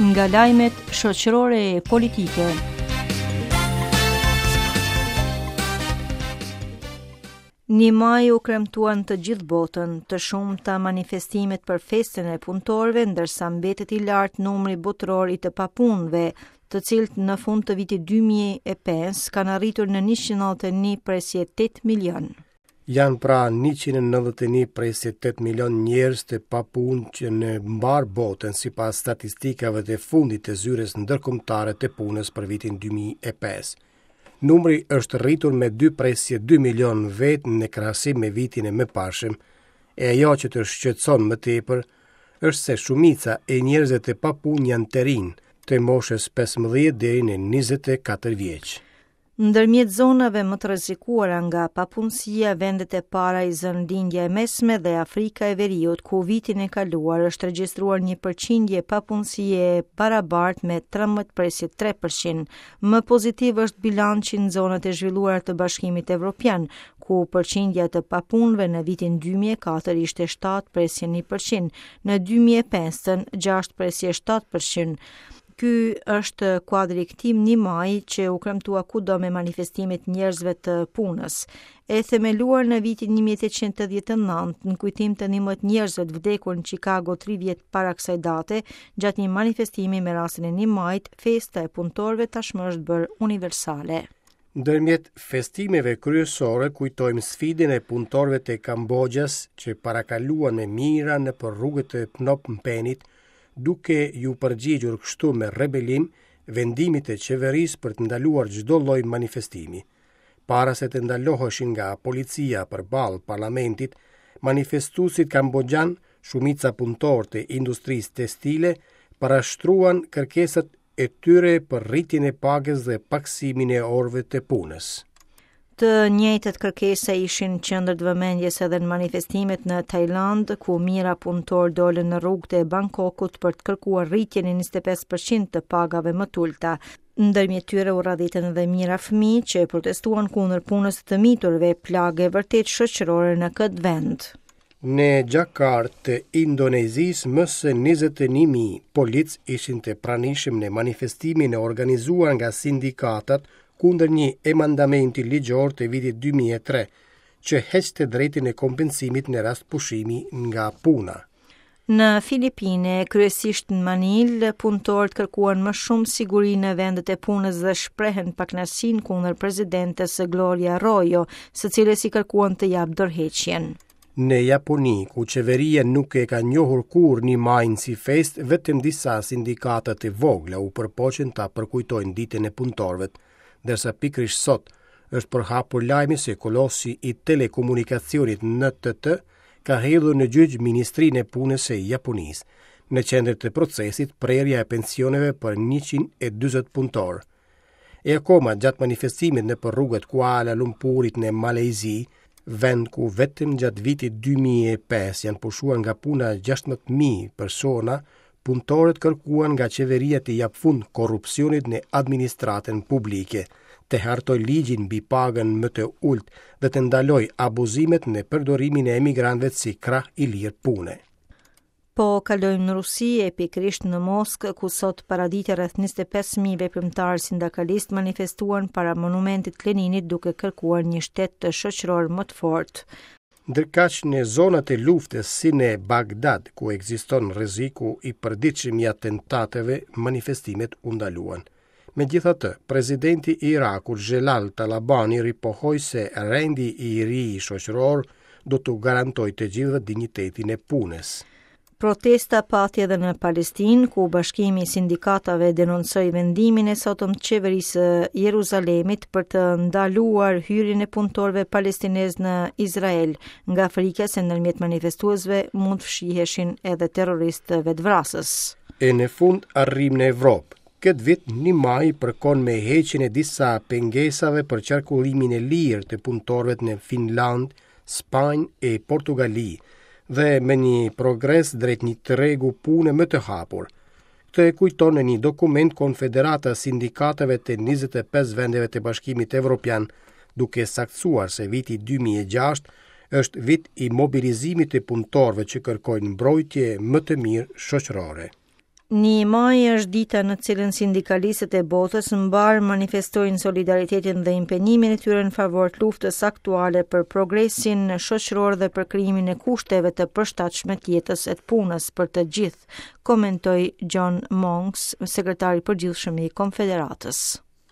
Nga lajmet shoqërore e politike. Një maji u kremtua në të gjithë botën, të shumta manifestimet për festën e punëtorëve, ndërsa mbetet i lartë numri botëror i të papunëve, të cilët në fund të vitit 2005 kanë arritur në 191.8 milion. Janë pra 191.8 milion njerëz të papunë që në mbarë botën sipas statistikave të fundit të Zyrës Ndërkombëtare të Punës për vitin 2005. Numri është rritur me 2.2 milion vetë në krahasim me vitin e mëparshëm, e ajo që të shqetëson më tepër është se shumica e njerëzve të papunë janë të rinj, të moshës 15 deri në 24 vjeç. Ndërmjet zonave më të rrezikuara nga papunësia, vendet e para i zënë Lindja e Mesme dhe Afrika e Veriut, ku vitin e kaluar është regjistruar një përqindje papunësie e barabartë me 13.3%. Më pozitiv është bilanci në zonat e zhvilluara të Bashkimit Evropian, ku përqindja e të papunëve në vitin 2004 ishte 7.1%, në 2005-ën 6.7%. Ky është kuadri i këtij një maji që u kremtua kudo me manifestimet e njerëzve të punës. E themeluar në vitin 1889 në kujtim të 11 njerëzve të vdekur në Chicago 3 vjet para kësaj date, gjatë një manifestimi me rastin e 1 majit, festa e punëtorëve tashmë është bërë universale. Ndërmjet festimeve kryesore kujtojmë sfidën e punëtorëve të Kamboxhas që parakaluan me mijëra nëpër rrugët e Phnom Penit, duke iu përgjigjur kështu me rebelim vendimit të qeverisë për të ndaluar çdo lloj manifestimi. Para se të ndaloheshin nga policia përballë parlamentit, manifestuesit kamboxhanë, shumica punëtorë të industrisë tekstile, parashtruan kërkesat e tyre për rritjen e pagës dhe pakësimin e orëve të punës. Të njëjtat kërkesa ishin qendër të vëmendjes edhe në manifestimet në Tajlandë, ku mijëra punëtorë dolën në rrugët e Bangkokut për të kërkuar rritjen e 25% të pagave më të ulëta. Ndërmjet tyre u radhitën edhe mijëra fëmijë që protestuan kundër punës së të miturve, plagë e vërtetë shoqërore në këtë vend. Në Xhakartë të Indonezisë më se 21.000 policë ishin të pranishëm në manifestimin e organizuar nga sindikatat kundër një amendamenti ligjor të vitit 2003 që heq të drejtën e kompensimit në rast pushimi nga puna. Në Filipine, kryesisht në Manilë, punëtorët kërkuan më shumë siguri në vendet e punës dhe shprehën pakënaqësinë kundër presidentes Gloria Arroyo, së cilës i kërkuan të japë dorëheqjen. Në Japoni, ku qeveria nuk e ka njohur kurrë një majin si festë, vetëm disa sindikata të vogla u përpoqën ta përkujtojnë ditën e punëtorëve, ndërsa pikërisht sot është përhapur lajmi se kolosi i telekomunikacionit NTT ka hedhur në gjyq Ministrinë e Punës së Japonisë, në qendër të procesit prerja e pensioneve për 140 punëtorë. E akoma gjatë manifestimit nëpër rrugët Kuala Lumpurit në Malajzi, vend ku vetëm gjatë vitit 2005 janë pushuar nga puna 16.000 persona, punëtorët kërkuan nga qeveria t'i japë fund korrupsionit në administratën publike, të hartojë ligjin mbi pagën më të ulët dhe të ndalojë abuzimet në përdorimin e emigrantëve si krah i lirë pune. Po kalojmë në Rusi e pikërisht në Moskë, ku sot paradite rreth 25.000 veprimtarë sindikalistë manifestuan para monumentit të Leninit duke kërkuar një shtet shoqëror më të fortë. Ndërkaq në zonat e luftës si në Bagdad, ku ekziston rreziku i përditshëm i atentateve, manifestimet u ndaluan. Megjithatë, presidenti i Irakut Xhelal Talabani ripohoi se rendi i ri shoqëror do t'u garantojë të gjithëve dinjitetin e punës. Protesta pati edhe në Palestinë, ku Bashkimi i Sindikatave denoncoi vendimin e sotëm të qeverisë së Jeruzalemit për të ndaluar hyrjen e punëtorëve palestinezë në Izrael, nga frika se ndërmjet manifestuesve mund të fshiheshin edhe terroristë vetëvrasës. E në fund arrijmë në Evropë. Këtë vit 1 maji përkon me heqjen e disa pengesave për qarkullimin e lirë të punëtorëve në Finlandë, Spanjë e Portugali dhe me një progres drejt një tregu pune më të hapur. Këtë e kujton në një dokument Konfederata e Sindikatave të 25 vendeve të Bashkimit Evropian, duke saktësuar se viti 2006 është vit i mobilizimit të punëtorëve që kërkojnë mbrojtje më të mirë shoqërore. Një maj është dita në cilën sindikalistët e botës mbarë manifestojnë solidaritetin dhe impenjimin e tyre në favor të luftës aktuale për progresin shoqëror dhe për krijimin e kushteve të përshtatshme të jetës e të punës për të gjithë, komentoi John Monks, sekretari i përgjithshëm i Konfederatës.